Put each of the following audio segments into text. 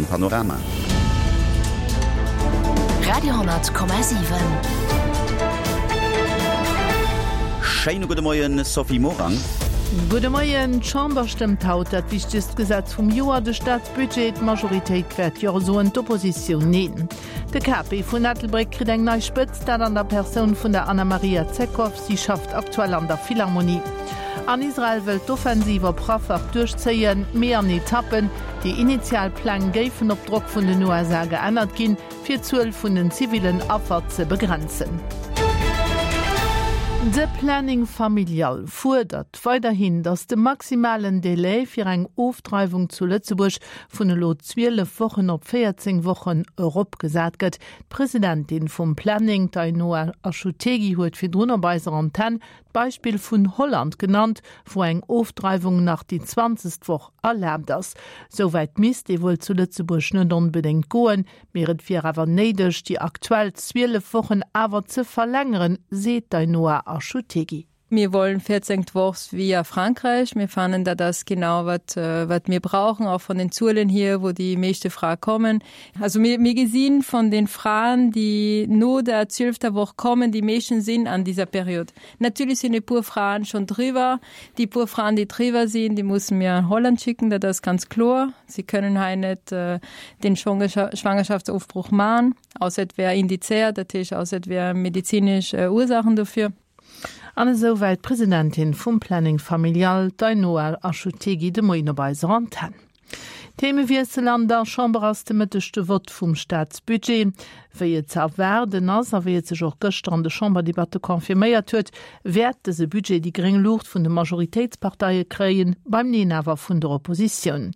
eisem Panorama. Radio,7. Schéine gudde Moien, Sophie Morang. Gudde Moien. D'Chamber stëmmt haut dat wichtegst Gesetz vum Joer, de Staatsbudget. D'Majoritéit wäert Jo soen, d'Oppositioun Neen. De KP vun Ettelbréck kritt eng nei Spëtzt, dat an der Persoun vun der Anna-Maria Zekow. Si schafft aktuell an der Philharmonie. An Israel wëllt d'Offensiv op Rafah duerchzéien, mee an Etappen. Déi initial Pläng géifen op Drock vun den USA geännert ginn, fir d'Zuel vun den zivillen Affer ze begrenzen. De Planning familial fuerdert weiderhin, datt de maximalen Delai fir eng Ofdreiwung zu Lëtzebuerg vun elo 12 Wochen op 14 Wochen eropgesat gëtt. D'Presidentin vum Planning, d'Ainhoa Achutegui, huet virdrun op eiser Antenn d'Beispill vun Holland genannt, wou eng Ofdreiwung nach déi zwanzegst Woch erlaabt ass. Souwäit misst ee wuel zu Lëtzebuerg net onbedéngt goen, mee et wier awer néideg, déi aktuell 12 Wochen awer ze verlängeren, seet d'Ainhoa Achutegui. Mir wollen 14 Wochs via Frankreich. Mir fanden da das genau wat äh, wat mir brauchen, auch von den Zuelen hier, wo die meeste Fra kommen. Also mir, mir gesehen von den Frauen, die no der 12. Woche kommen, die meisten sind an dieser Periode. Natürlich sind die pur Frauen schon drüber. Die pur Frauen, die drüber sind, die müssen mir in Holland schicken, da das ganz klar. Sie können halt nicht äh, den Schwangerschaftsaufbruch machen, außer wer indiziert, natürlich außer wer medizinisch äh, Ursachen dafür. An esou wäit d'Presidentin vum Planning Familial, d'Ainhoa Achutegui, de Moien op eiser Antenn. Themewiessel, An der Chamber ass de Mëtteg de Vott vum Staatsbudget. Wéi et ze erwaarden ass a wéi et sech och gëschter an de Chamberdebatte confirméiert huet, wäert dëse Budget déi gréng Luucht vun de Majoritéitsparteie kréien, beim Neen awer vun der Oppositioun.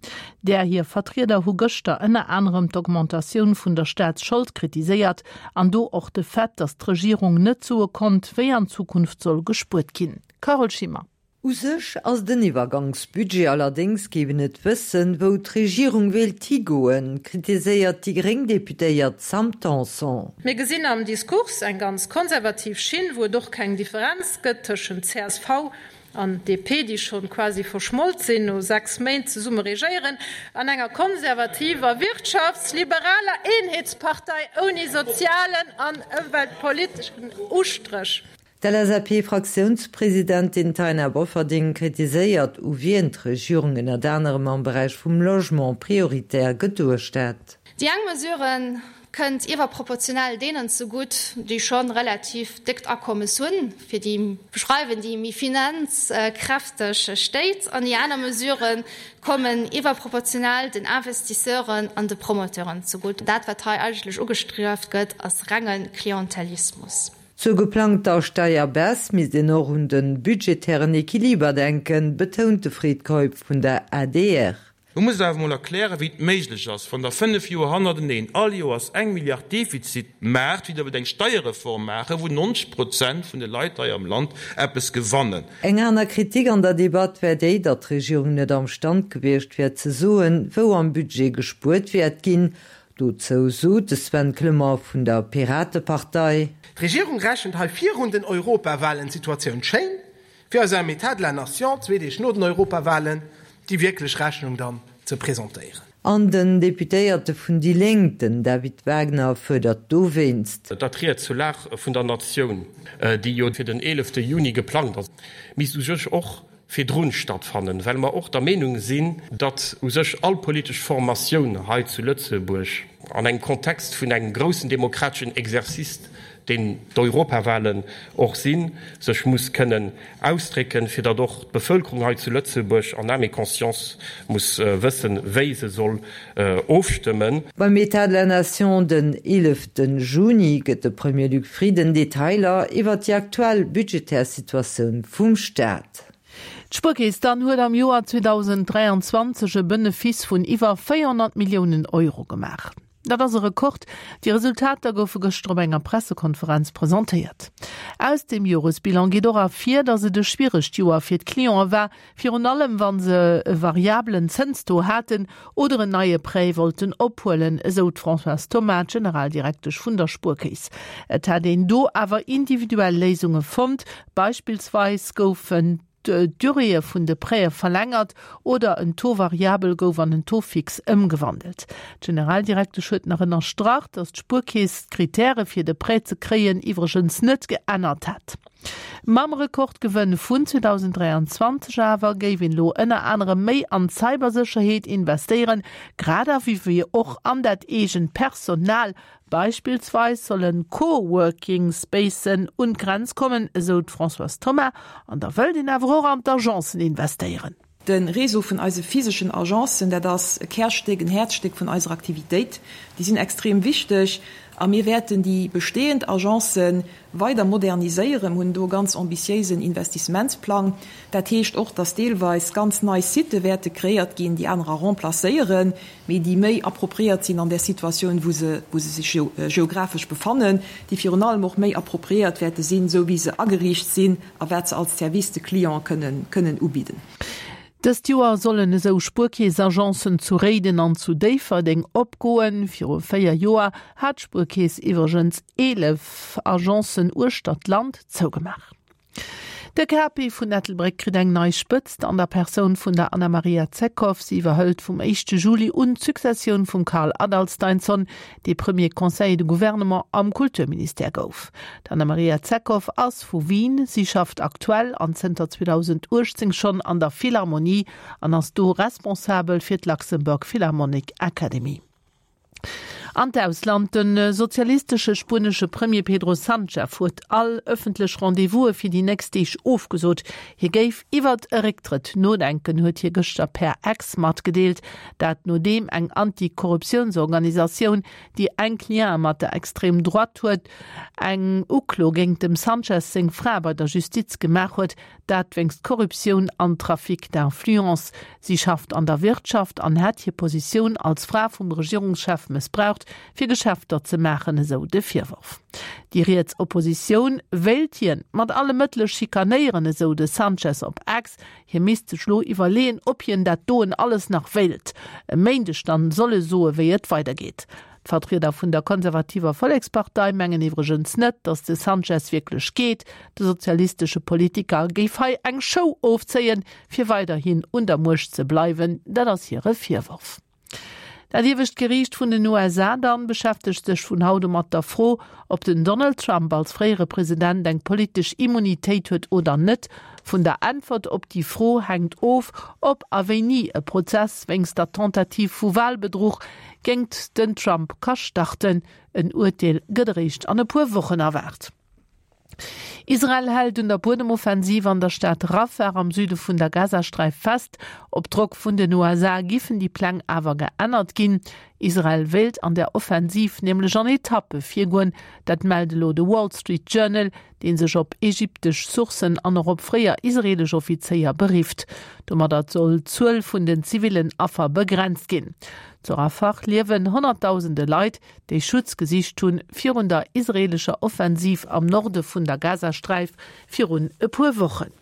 Där hir Vertrieder hu gëschter ënner anerem d'Augmentatioun vun der Staatsschold kritiséiert An do och de Fait, datt d'Regierung net soe konnt, wéi an Zukunft soll gespuert ginn. Carole Schimmer. U sech ass et en Iwwergangsbudget, allerdéngs géif een net wëssen, wou d'Regierung wéilt higoen, kritiséiert déi gréng Deputéiert Sam Tanson. Mir gesinn am Diskurs eng ganz konservativ Schinn, wou et och keng Differenz gëtt tëschent csv an DP, déi schonn quasi verschmolt sinn no 6 Méint zesumme regéieren, an enger konservativer, wirtschaftsliberaler Eenheetspartei ouni sozialen an ëmweltpoliteschen Ustréch. D'LSAP-Fraktiounspresidentin Taina Bofferding kritiséiert, u wien d'Regierung ënnert anerem am Beräich vum Logement prioritär geduecht hätt. Déi eng Mesure kënnt iwwerproportionell deenen zegutt, déi scho relativ déckt Akommes hunn, fir déi beschreiwen déi méi finanzkräfteg Stéit, an déi aner Mesurë kommen iwwerproportionell den Investisseuren an de Promoteuren zegutt. Dat, wat hei eigentlech ugestrieft gëtt, ass renge Klientelismus. Zur geplangter Steierbaisse misst een och un de budgetären Equiliber denken, betount de Fred Keup vun der adr. Lo musst Der awer emol erklären, wéi et méiglech ass, wann Der fënnf Joer hannerteneen all Joers eng Milliard Defizit maacht, wéi Der wëllt eng Steierreform maachen, wou 90 Prozent vun de Leit hei am Land eppes gewannen. Eng aner Kritik an der Debatt wär déi, datt d'Regierung net am Stand gewiescht wär ze soen, wou am Budget gespuert wäert ginn. Dozou sot de Sven Clement vun der Piratepartei. D'Regierung rechent hei virun den Europawahlen d'Situatioun schéin, fir eis am État de la Nation, zwee Deeg no den Europawahlen, déi wierklech Rechnung dann ze presentéieren. An den Deputéierte vun déi Lénk, den David Wagner, fuerdert dowéinst. Datt Ried zur Lag vun der Natioun, déi jo fir den eelefte Juni geplangt ass, misst u sech och virdrun stattfannen, well mer och der Meenung sinn, datt u sech all politesch Formatioun hei zu Lëtzebuerg an engem Kontext vun engem groussen demokrateschen Exercice, deen d'Europawahlen och sinn, sech muss kënnen ausdrécken, fir datt och d'Bevölkerung hei zu Lëtzebuerg en âme et conscience muss wëssen, wéi se soll ofstëmmen. Beim État de la Nation den 11 Juni gëtt de Premier Luc Frieden Detailer iwwer déi aktuell budgetär Situatioun vum Staat. D'Spuerkeess dann huet am Joer 2023 e Benefice vun iwwer 400 Milliounen Euro gemaach. Dat ass e Rekord. Déi Resultater goufe gëschter op enger Pressekonferenz presentéiert. Aus dem Joresbilan geet och ervir, datt et e schwieregt Joer fir d'Cliente war, virun allem wa se e variabelen Zënstaux haten oder en neie Prêt wollten ophuelen, esou d'Françoise Thoma, d'Generaldirektesch vun der Spuerkeess. Et hätt een do awer individuell Léisunge fonnt, beispillsweis goufen. d'Duréeë vun de Prêtë verlängert oder en Taux variabel gouf an en Taux fixe ëmgewandelt. D'Generaldirektesch huet nach ënnerstrach, datt d'Spuerkeess d'Kritäre fir de Prêt ze kréien iwwregens net geännert hätt. Mam Rekordgewënn vun 2023 awer géif een elo ënner anerem méi an d'Cybersécherheet investéieren, grad ewéi och an dat eegent Personal. Beispillsweis solle Co-Working Spacen un d'Grenz kommen, esou d'Françoise Thoma. An da wëllt een awer och an d'Agencen investéieren. De Réseau vun eise physeschen Agencen, dat ass e Kärstéck, en Häerzstéck vun eiser Aktivitéit. Déi sinn extrem wichteg a mir wäerten déi bestehend Agencë weider moderniséieren. Mir hunn do e ganz ambitiéisen Investissementsplang. Dat heescht och, dass deelweis ganz nei Sitë wäerte kreéiert ginn, déi anerer remplacéieren, mee déi méi appropriéiert sinn an där Situatioun, wou se, wou se sech geographesch befannen, déi virun allem och méi appropriéiert wäerte sinn, esou wéi se ageriicht sinn a wat se als Service de Client kënnen, kënnen ubidden. Dëst Joer sollen esou Spuerkeess-Agencen zu Réiden an zu Déifferdeng opgoen. Viru 4 Joer hat d'Spuerkeess iwwregens 11 Agencen uechter d'Land zougemaach. De KP vun Ettelbréck kritt eng nei Spëtzt an der Persoun vun der Anna-Maria Zekow. Si iwwerhëlt vum éischte Juli un d'Successioun vum Karl Adalsteinsson, dee Premier Conseiller de Gouvernement am Kulturministère gouf. D'Anna-Maria Zekow ass vu Wien. Si schafft aktuell an zënter 2018 schonn an der Philharmonie an ass do responsabel fir d'Luxembourg Philharmonic Academy. An d'Ausland, De sozialistesche spuenesche Premier Pedro Sanchez huet all ëffentlech Rendez-vouse fir déi nächst Deeg ofgesot. Hie géif iwwert e Récktrëtt nodenken, huet hie gëschter per X matgedeelt. Dat nodeem eng Anti-Korruptiounsorganisatioun, déi enk Liene mat der Extrême Droite huet, eng Uklo géingt dem Sanchez seng Fra bei der Justiz gemaach huet, dat wéinst Korruptioun an Trafic d'influence. Si schafft an der Wirtschaft an hätt hir Positioun als Fra vum Regierungschef mëssbraucht, fir Geschäfter ze maachen, esou de Virworf. Déi riets Oppositioun wéilt hien mat alle Mëttele schikanéieren, esou de Sanchez op X. Hie misst sech lo iwwerleeën, ob hien dat doen alles nach wéilt. E Méindeg dann soll e soe wéi et weidergeet. D'Vertrieder vun der konservativer Vollekspartei mengen iwwregens net, datt de Sanchez wierklech geet. De sozialistesche Politiker géif hei eng Show ofzéien, fir weiderhin un der Muecht ze bleiwen, dat ass hire Virworf. Dat iewescht Geriicht vun den USA dann beschäftegt sech vun haut u mat der Fro, ob den Donald Trump als fréiere President eng politesch Immunitéit huet oder net. Vun der Äntwert op déi Fro hänkt of, ob a wéini e Prozess wéinst der Tentative vu Walbedruch géingt den Trump ka starten. En Urteel gëtt eréischt an e puer Wochen erwaart. Israel hält un der Buedemoffensiv an der Stad Rafah am Süde vun der Gazasträif fest. Op Drock vun den USA giffen déi Pläng awer geännert ginn. Israel wéilt an der Offensiv nämlech an Etappe virgoen. Dat mellt elo de Wall Street Journal, dee sech op egyptesch Sourcen an och op fréier israeelesch Offizéier berifft. Domadder soll d'Zuel vun den zivillen Affer begrenzt ginn. Zu Rafah liewen honnertdausende Leit, déi Schutz gesicht hunn virun der israeelescher Offensiv am Norde vun der Gazasträif virun e puer Wochen.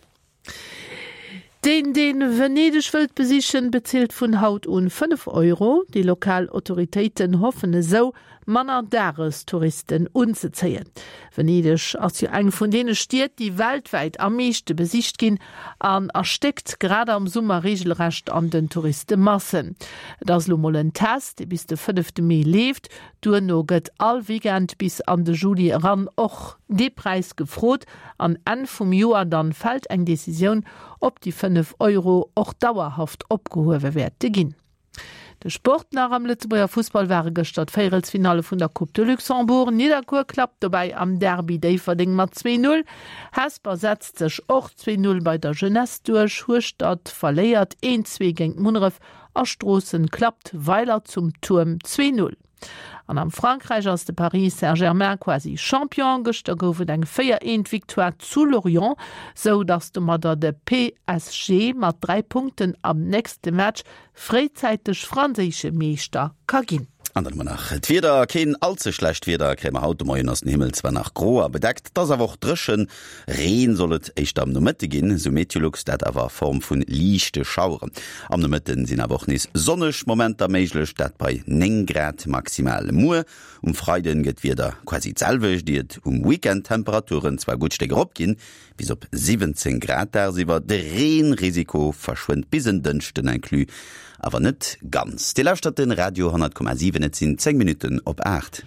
Deen, dee Venedeg wëllt besichen, bezilt vun haut un 5 Euro. Déi lokal Autoritéiten hoffen esou, manner Dagestouristen unzezéien. Venedeg ass jo eng vun deene Stied, déi weltwäit am meeschte besicht ginn an erstéckt grad am Summer reegelrecht an den Touristemassen. Et ass elo mol en Test, dee bis de fënnefte Mee leeft. Duerno gëtt all Weekend bis an de Juli eran och dee Präis gefrot an Enn vum Joer dann fält eng Decisioun, ob déi 5 Euro och dauerhaft opgehuewe wäerte ginn. De Sport nach, Am Lëtzebuerger Fussball ware gëschter d'Véierelsfinalle vun der Coupe de Luxembourg. Nidderkuer klappt dobäi am Derby Déifferdeng mat 2, 0. Hesper setzt sech och 2, 0 bei der Jeunesse duerch. Hueschtert verléiert 1, 2 géint Munneref a Stroossen klappt Weiler zum Tuerm 2, 0. An am Frankräich ass de Paris Saint-Germain quasi Champion. Gëschter gouf et eng 4, 1 Victoire zu Lorient, sou datt domadder de PSG mat 3 Punkten am nächste Match fréizäiteg franséische Meeschter ka ginn. An dann hu mer nach d'Wieder. Keen all ze schlecht Wieder kréie mer haut. De Moien ass den Himmel zwar nach gro a bedeckt, et ass awer och dréchen. Reen soll et éischter am Nomëtte ginn, esou Meteolux, dat awer a Form vu liichte Schaueren. Am Nomëtte sinn awer och nees sonneg Momenter méiglech, dat bei 9 Grad maximal. Muer um Freiden gëtt d'Wieder quasi d'selwecht, ier et um Weekend d'Temperaturen zwar e gutt Stéck eropginn, bis op 17 Grad dagsiwwer. De Reenrisiko verschwënnt bis en Dënschden inclus, awer net ganz. Dir lauschtert de Radio 10,7, et sinn 10 Minutten op 8.